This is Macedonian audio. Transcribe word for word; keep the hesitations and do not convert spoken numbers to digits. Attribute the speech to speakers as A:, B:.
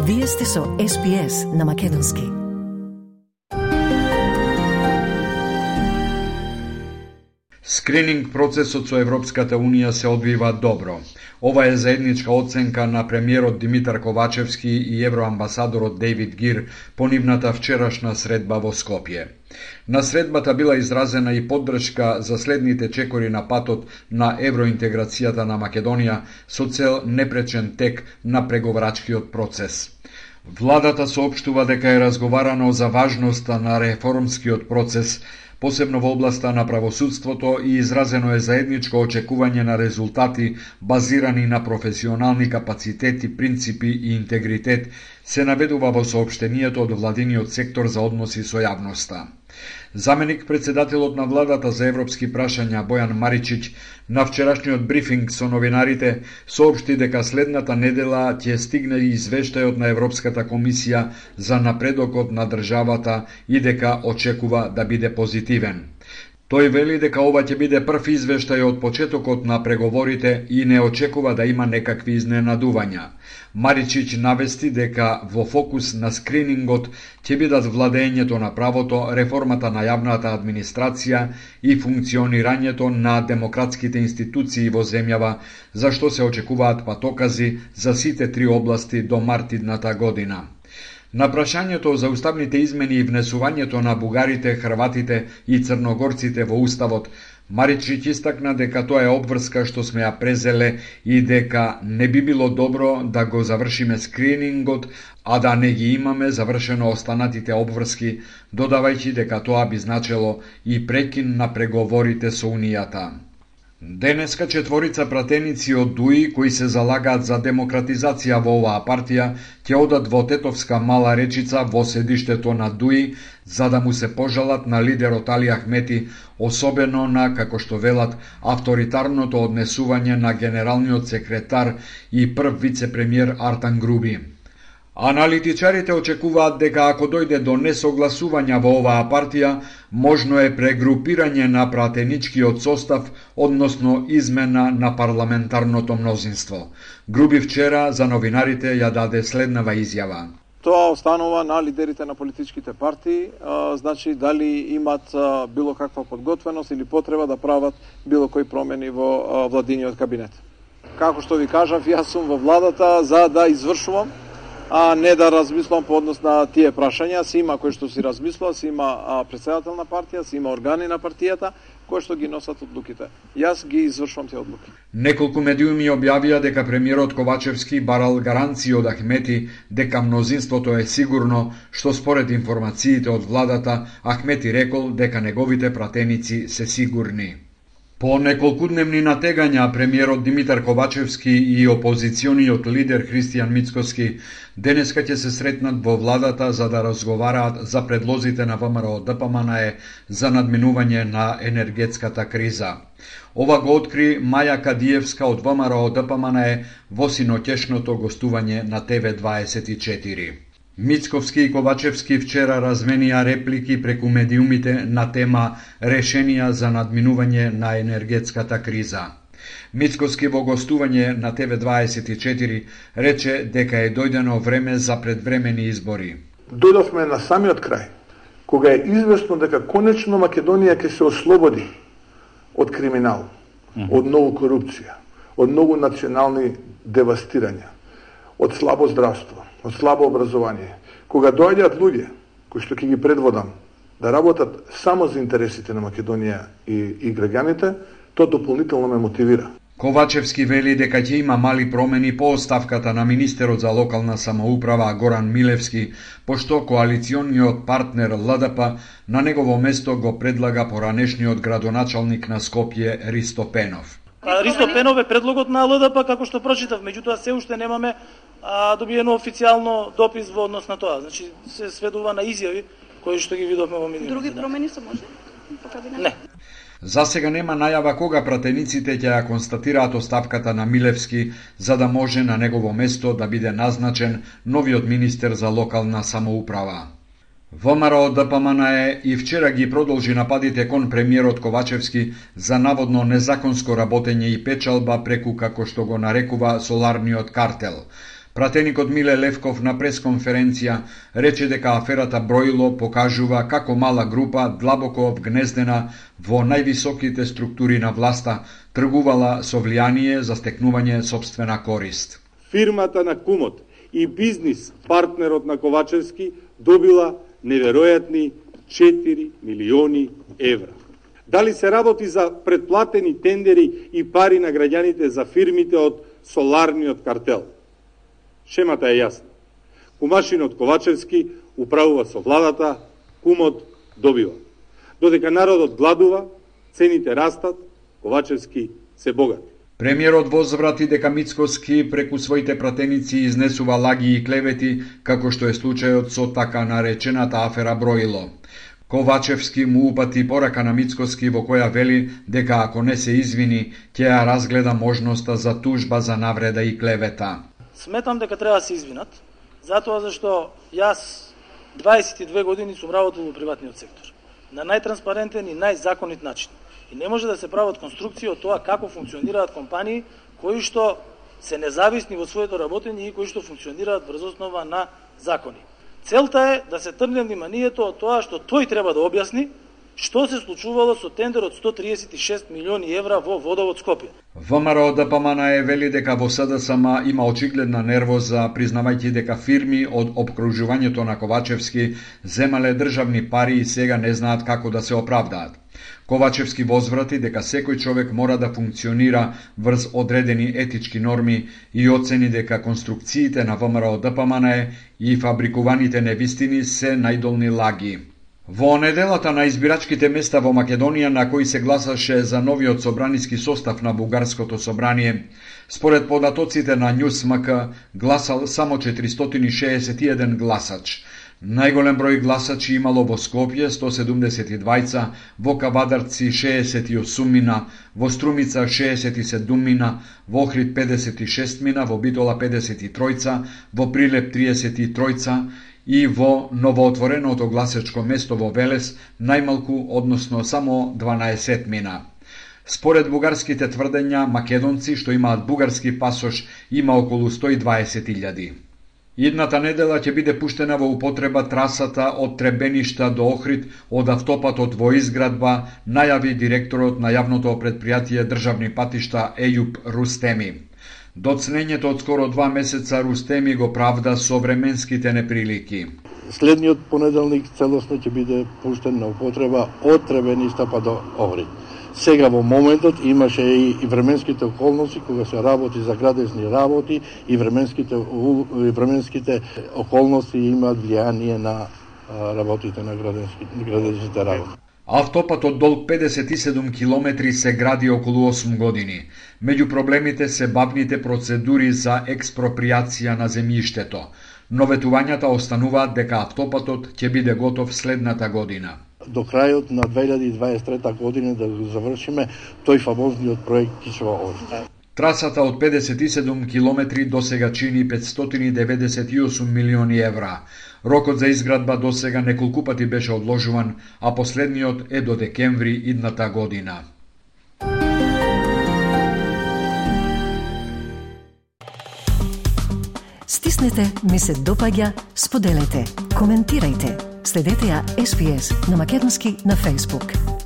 A: Вие сте со Ес Би Ес на македонски.
B: Скрининг процесот со Европската Унија се одвива добро. Ова е заедничка оценка на премиерот Димитар Ковачевски и евроамбасадорот Дейвид Гир по нивната вчерашна средба во Скопје. На средбата била изразена и поддршка за следните чекори на патот на евроинтеграцијата на Македонија со цел непречен тек на преговарачкиот процес. Владата соопштува дека е разговарано за важноста на реформскиот процес, посебно во областа на правосудството, и изразено е заедничко очекување на резултати базирани на професионални капацитети, принципи и интегритет, се наведува во соопштенијето од владиниот сектор за односи со јавноста. Заменик председателот на владата за европски прашања Бојан Маричич на вчерашниот брифинг со новинарите соопшти дека следната недела ќе стигне извештајот на Европската комисија за напредокот на државата и дека очекува да биде позитивен. Тој вели дека ова ќе биде прв извештај од почетокот на преговорите и не очекува да има некакви изненадувања. Маричич навести дека во фокус на скринингот ќе бидат владењето на правото, реформата на јавната администрација и функционирањето на демократските институции во земјава, за што се очекуваат патокази за сите три области до март идната година. На прашањето за уставните измени и внесувањето на бугарите, хрватите и црногорците во уставот, Маричич истакна дека тоа е обврска што сме ја презеле и дека не би било добро да го завршиме скринингот, а да не ги имаме завршено останатите обврски, додавајќи дека тоа би значело и прекин на преговорите со Унијата. Денеска четворица пратеници од ДУИ кои се залагаат за демократизација во оваа партија ќе одат во Тетовска Мала Речица во седиштето на ДУИ за да му се пожалат на лидерот Али Ахмети, особено на, како што велат, авторитарното однесување на генералниот секретар и прв вице-премиер Артан Груби. Аналитичарите очекуваат дека ако дојде до несогласувања во оваа партија, можно е прегрупирање на пратеничкиот состав, односно измена на парламентарното мнозинство. Груби вчера за новинарите ја даде следнава изјава.
C: Тоа останува на лидерите на политичките партии, а, значи дали имат а, било каква подготвеност или потреба да прават било кои промени во а, владиниот кабинет. Како што ви кажав, јас сум во владата за да извршувам, а не да размислам по однос на тие прашања. Си има кој што си размислува, си има а, председател на партија, си има органи на партијата кои што ги носат одлуките. Јас ги извршувам тие одлуки.
B: Неколку медиуми објавија дека премиерот Ковачевски барал гаранции од Ахмети дека мнозинството е сигурно, што според информациите од владата Ахмети рекол дека неговите пратеници се сигурни. По неколкудневни натегања премиерот Димитар Ковачевски и опозициониот лидер Христијан Мицкоски денеска ќе се сретнат во владата за да разговараат за предлозите на ВМРО Д П М Н Е за надминување на енергетската криза. Ова го откри Маја Кадиевска од ВМРО Д П М Н Е во синоќешното гостување на Т В дваесет и четири. Мицковски и Ковачевски вчера разменија реплики преку медиумите на тема решенија за надминување на енергетската криза. Мицковски во гостување на Т В дваесет и четири рече дека е дојдено време за предвремени избори.
D: Дојдовме на самиот крај, кога е известно дека конечно Македонија ќе се ослободи од криминал, од многу корупција, од многу национални девастирања, од слабо здравство, од слабо образование. Кога доаѓаат луѓе кои што ќе ги предводам да работат само за интересите на Македонија и, и граѓаните, тоа дополнително ме мотивира.
B: Ковачевски вели дека ќе има мали промени по оставката на министерот за локална самоуправа Горан Милевски, пошто коалициониот партнер Л Д П на негово место го предлага поранешниот градоначалник на Скопје Ристо Пенов.
E: Ристо Пенов е предлогот на Л Д П, како што прочитав, меѓутоа се уште немаме а, добиено официјално допис во однос на тоа. Значи се сведува на изјави кои што ги видовме во минатите.
F: Други промени се може?
E: Не.
B: За сега нема најава кога пратениците ќе ја констатираат оставката на Милевски за да може на негово место да биде назначен новиот министер за локална самоуправа. ВМРО Д П М Н Е и вчера ги продолжи нападите кон премиерот Ковачевски за наводно незаконско работење и печалба преку, како што го нарекува, соларниот картел. Пратеникот Миле Левков на пресконференција рече дека аферата Броило покажува како мала група длабоко вгнездена во највисоките структури на власта тргувала со влијание за стекнување сопствена корист.
F: Фирмата на кумот и бизнис партнерот на Ковачевски добила неверојатни четири милиони евра. Дали се работи за предплатени тендери и пари на граѓаните за фирмите од соларниот картел? Шемата е јасна. Кумашинот Ковачевски управува со владата, кумот добива. Додека народот гладува, цените растат, Ковачевски се богати.
B: Премиерот возврати дека Мицкоски преку своите пратеници изнесува лаги и клевети, како што е случајот со така наречената афера Броило. Ковачевски му упати порака на Мицкоски во која вели дека ако не се извини, ќе ја разгледа можноста за тужба за навреда и клевета.
E: Сметам дека треба да се извинат, затоа зашто јас дваесет и две години сум работел во приватниот сектор, на најтранспарентен и најзаконит начин. И не може да се прават конструкции од тоа како функционираат компании кои што се независни во своето работење и кои што функционираат врз основа на закони. Целта е да се тргне вниманието од тоа што тој треба да објасни што се случувало со тендер од сто триесет и шест милиони евра во Водовод Скопје.
B: ВМРО ДПМН е вели дека во СДСМ има очигледна нервоза, признавајќи дека фирми од обкружувањето на Ковачевски земале државни пари и сега не знаат како да се оправдаат. Ковачевски возврати дека секој човек мора да функционира врз одредени етички норми и оцени дека конструкциите на ВМРО ДПМН и фабрикуваните невистини се најдолни лаги. Во неделата на избирачките места во Македонија на кои се гласаше за новиот собраниски состав на Бугарското собрание, според податоците на Ньюс.мк гласал само четиристотини и шеесет и еден гласач. Најголем број гласачи имало во Скопје сто седумдесет и двајца, во Кавадарци шеесет и осум мина, во Струмица шеесет и седум мина, во Охрид педесет и шест мина, во Битола педесет и тројца, во Прилеп триесет и тројца и во новоотвореното гласачко место во Велес најмалку, односно само дванаесет мина. Според бугарските тврдења, македонци што имаат бугарски пасош има околу сто и дваесет илјади. Идната недела ќе биде пуштена во употреба трасата од Требеништа до Охрид од автопатот во изградба, најави директорот на јавното претпријатие државни патишта Ејуп Рустеми. Доцнењето од скоро два месеца Рустеми го правда со временските неприлики.
G: Следниот понеделник целосно ќе биде пуштен на употреба од Требеништа па до Охрид. Сега во моментот имаше и временските околности кога се работи за градесни работи и временските и временските околности имаат влијание на работите на градесните работи.
B: Автопатот долг педесет и седум километри се гради околу осум години. Меѓу проблемите се бавните процедури за експроприација на земјиштето, но ветувањата остануваат дека автопатот ќе биде готов следната година.
G: До крајот на две илјади и дваесет и трета година да го завршиме тој фамозниот проект Кичево-Охрид.
B: Трасата од педесет и седум километри досега чини петстотини деведесет и осум милиони евра. Рокот за изградба досега неколку пати беше одложуван, а последниот е до декември идната година.
A: Стиснете, ми се допаѓа, споделете, коментирајте. Следете ја Ес Би Ес на македонски на Facebook.